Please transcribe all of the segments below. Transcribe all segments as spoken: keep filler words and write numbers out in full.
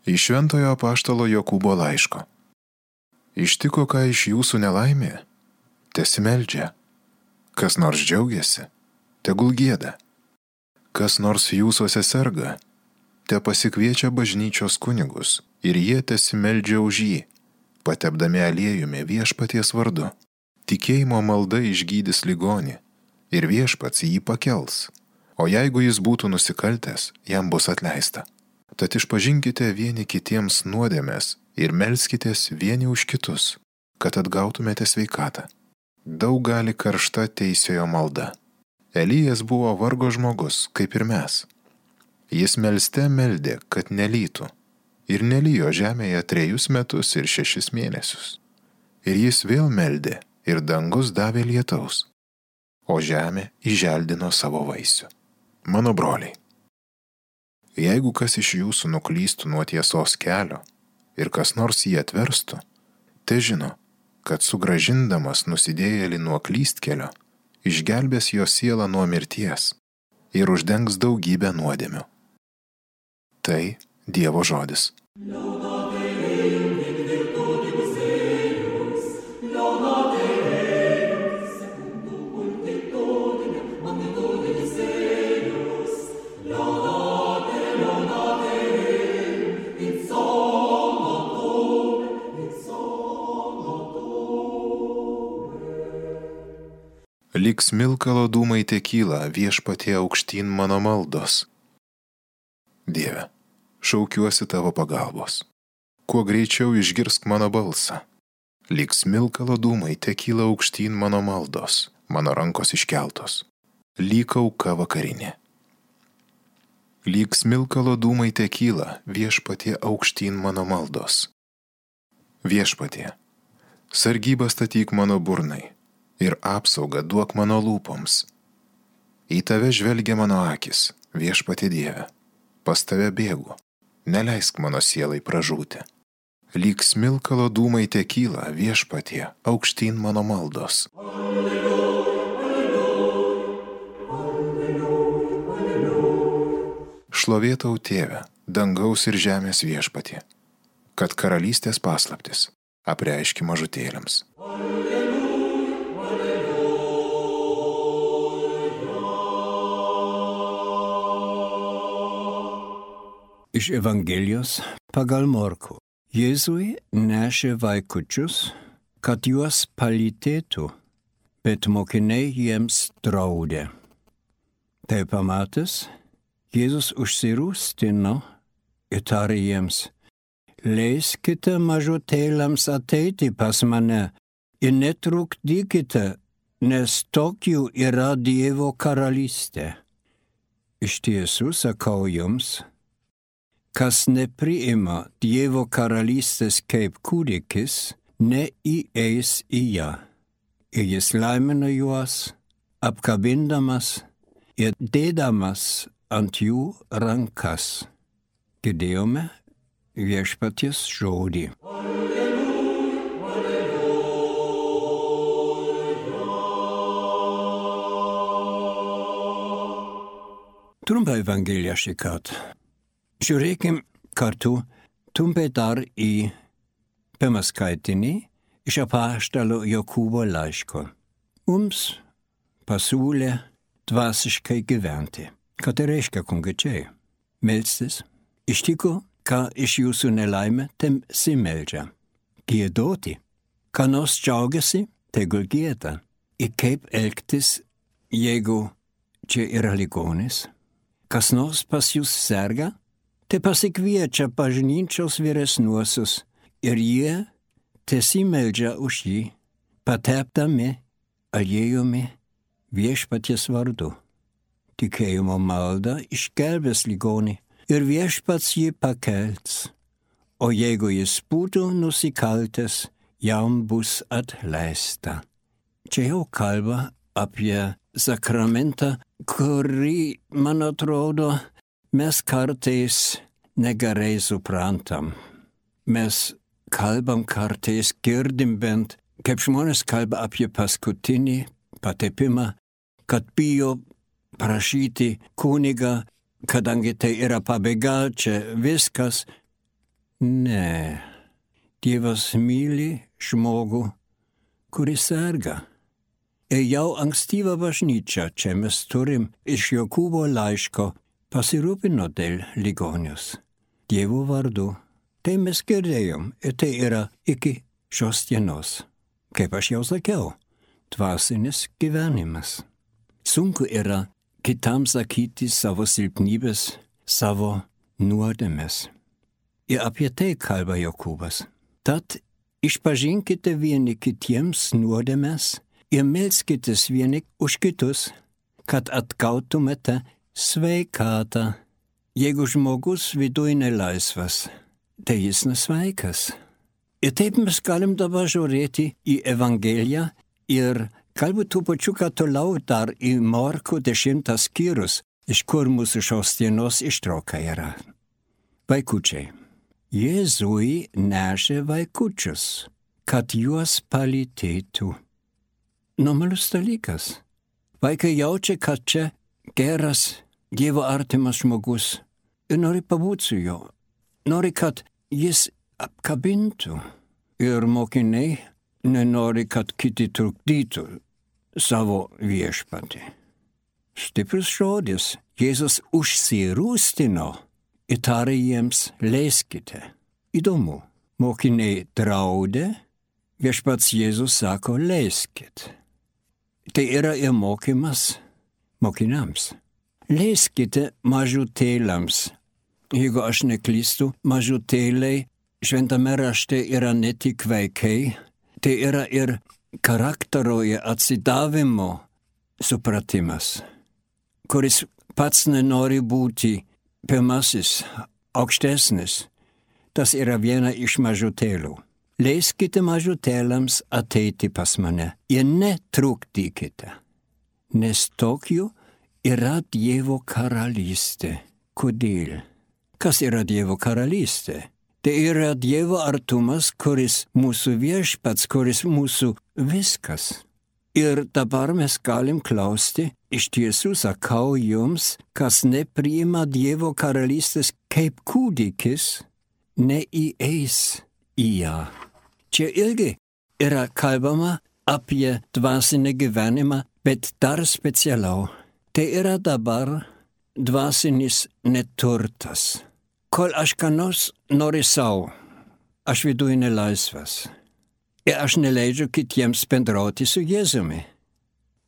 Iš Šventojo apaštalo Jokūbo laiško. Ištiko ką iš jūsų nelaimė, tesimeldžia. Kas nors džiaugiasi, tegul gieda. Kas nors jūsuose serga, te pasikviečia bažnyčios kunigus ir jie tesimeldžia už jį, patepdami aliejumi viešpaties vardu. Tikėjimo malda išgydys ligonį ir viešpats jį pakels, o jeigu jis būtų nusikaltęs, jam bus atleista. Tad išpažinkite vieni kitiems nuodėmes ir melskitės vieni už kitus, kad atgautumėte sveikatą. Daug gali karšta teisiojo malda. Elijas buvo vargo žmogus, kaip ir mes. Jis melste meldė, kad nelytų, ir nelijo žemėje trejus metus ir šešis mėnesius. Ir jis vėl meldė, ir dangus davė lietaus, o žemė įželdino savo vaisių. Mano broliai, jeigu kas iš jūsų nuklystų nuo tiesos kelio ir kas nors jį atverstų, te žino, kad sugrąžindamas nusidėjėlį nuo klystkelio, išgelbės jo sielą nuo mirties ir uždengs daugybę nuodėmių. Tai Dievo žodis. Lyg smilkalo dūmai tekyla viešpatie aukštyn mano maldos. Dieve, šaukiuosi tavo pagalbos. Kuo greičiau išgirsk mano balsą. Lyg smilkalo dūmai tekyla aukštyn mano maldos, mano rankos iškeltos. Lyg auka vakarinė. Lyg smilkalo dūmai tekyla viešpatie aukštyn mano maldos. Viešpatie, sargybą statyk mano burnai ir apsaugą duok mano lūpoms. Į tave žvelgia mano akis, viešpatie Dieve, pas tave bėgu, neleisk mano sielai pražūti. Lyg smilkalo dūmai tekyla viešpatie aukštyn mano maldos. Šlovėtau Tėve, dangaus ir žemės viešpatie, kad karalystės paslaptis apreiški mažutėliams. Iš Evangelijos pagal Morkų. Jėzui nešė vaikučius, kad juos palytėtų, bet mokiniai jiems draudė. Tai pamatęs, Jėzus užsirūstino ir tarė jiems: leiskite mažutėliams ateiti pas mane ir netrukdykite, nes tokių yra Dievo karalystė. Iš tiesų sakau jums, kas nepriima Dievo karalystės kaip kūdikis, neįeis į ją. Ir jis laimina juos, apkabindamas ir dėdamas ant jų rankas. Girdėjome viešpaties žodį. Trumpa Evangelija šį kartą. Žiūrėkim kartu trumpai dar į pirmą skaitinį iš apaštalo Jokūbo laiško. Mums pasiūlė dvasiškai gyventi. Ką tai reiškia konkrečiai? Melstis. Ištiko, ką iš jūsų nelaimė, tesimeldžia. Giedoti. Ką nors džiaugiasi, tegul gieda. Ir kaip elgtis, jeigu čia yra ligonis? Kas nors pas jūs serga? Tai pasikviečia bažnyčios vyresniuosius ir jie tesimeldžia už jį, patepdami aliejumi viešpaties vardu. Tikėjimo malda išgelbės ligonį ir viešpats jį pakels, o jeigu jis būtų nusikaltęs, jam bus atleista. Čia jau kalba apie sakramentą, kurį, man atrodo, mes kartais negerai suprantam. Mes kalbam kartais, girdim bent, kaip žmonės kalba apie paskutinį patepimą, kad bijo prašyti kunigą, kadangi tai yra pabaiga, čia viskas. Ne. Dievas myli žmogų, kuris serga. Ir jau ankstyva bažnyčia, čia mes turim iš Jokūbo laiško, pasirūpino dėl ligonius. Dievo vardu. Tai mes girdėjom ir tai yra iki šios dienos. Kaip aš jau sakiau, dvasinis gyvenimas. Sunku yra kitam sakyti savo silpnybės, savo nuodėmes. Ir apie tai kalba Jokūbas. Tad išpažinkite vieni kitiems nuodėmes ir melskitės vieni už kitus, kad atgautumėte sveikatą. Jeigu žmogus viduj nelaisvas, tai jis nesveikas. Ir taip mes galim dabar žiūrėti į Evangeliją ir galbūt tų pačių toliau dar į Morkų dešimtas skyrius, iš kur mūsų šios dienos ištrauka yra. Vaikučiai. Jėzui nešė vaikučius, kad juos palytėtų. Normalus dalykas. Vaikai jaučia, kad čia geras, Dievo artimas žmogus ir nori pabūti su juo. Nori, kad jis apkabintų. Ir mokiniai nenori, kad kiti trukdytų savo viešpatį. Stiprus žodis. Jėzus užsirūstino ir tarė jiems, leiskite. Įdomu. Mokiniai draudė, viešpats Jėzus sako, leiskit. Tai yra ir mokymas mokiniams. Leiskite mažutėliams. Jeigu aš neklystu, mažutėliai šventame rašte yra ne tik vaikai, tai yra ir charakterio ir atsidavimo supratimas, kuris pats nenori būti pirmasis, aukštesnis. Tas yra viena iš mažutėlių. Leiskite mažutėliams ateiti pas mane ir netrukdykite, nes tokių yra Dievo karalystė. Kodėl? Kas yra Dievo karalystė? Tai yra Dievo artumas, kuris mūsų viešpats, kuris mūsų viskas. Ir dabar mes galim klausti, iš tiesų sakau jums, kas nepriima Dievo karalystės kaip kūdikis, neįeis į ją. Čia irgi yra kalbama apie dvasinį gyvenimą, bet dar specialiau. Tai yra dabar dvasinis neturtas. Kol aš ką nors noriu savo, aš viduj nelaisvas. Ir aš neleidžiu kitiems bendrauti su Jėzumi.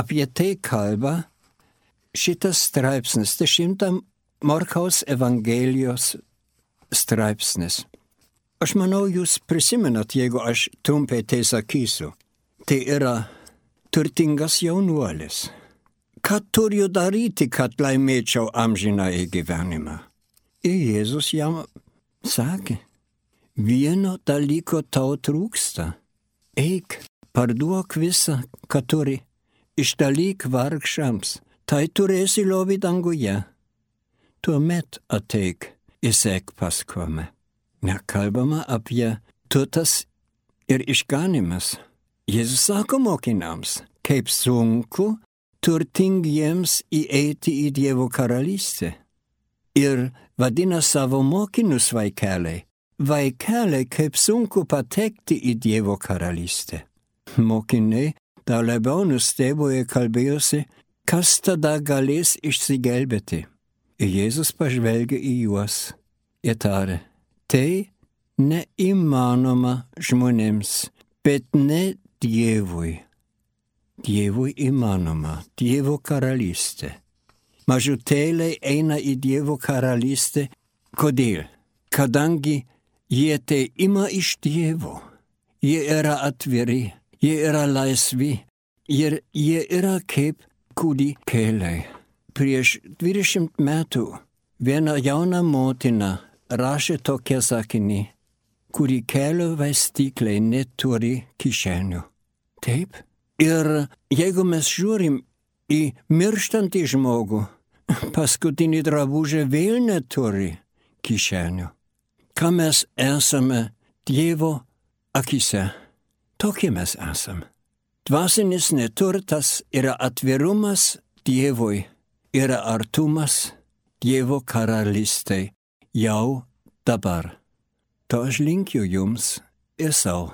Apie tai kalba šitas straipsnis, dešimtam Morkaus Evangelijos straipsnis. Aš manau, jūs prisimenat, jeigu aš trumpai tai sakysiu. Tai yra turtingas jaunuolis. Ką turiu daryti, kad laimėčiau amžinąjį gyvenimą? Ir Jėzus jam sakė, vieno dalyko tau trūksta. Eik, parduok visą, ką turi, išdalyk vargšams, tai turėsi lobį danguje. Tuomet ateik ir sek paskui. Nekalbama apie turtas ir išganymas. Jėzus sako mokiniams, kaip sunku turtingiems įeiti į Dievo karalystę. Ir vadina savo mokinius vaikeliai. Vaikeliai, kaip sunku patekti į Dievo karalystę. Mokiniai dar labiau nustebo ir kalbėjosi, kas tada galės išsigelbėti. Ir Jėzus pažvelgė į juos ir tarė, tai neįmanoma žmonėms, bet ne Dievui. Dievui įmanoma, Dievo karalystė. Mažutėliai eina į Dievo karalystę. Kodėl? Kadangi jie tai ima iš Dievo. Jie yra atviri, jie yra laisvi ir jie yra kaip kūdikėliai. Prieš dvidešimt metų viena jauna motina rašė tokią sakinį, kūdikėlio vaistyklai neturi kišenių. Taip? Ir jeigu mes žiūrim į mirštantį žmogų, paskutinį drabužį vėl neturi kišenių. Ką mes esame Dievo akise? Tokie mes esame. Dvasinis neturtas yra atvirumas Dievui, yra artumas Dievo karalystei jau dabar. To aš linkiu jums ir sau.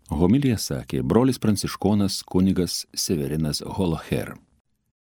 Homiliją sakė brolis pranciškonas kunigas Severinas Holoher.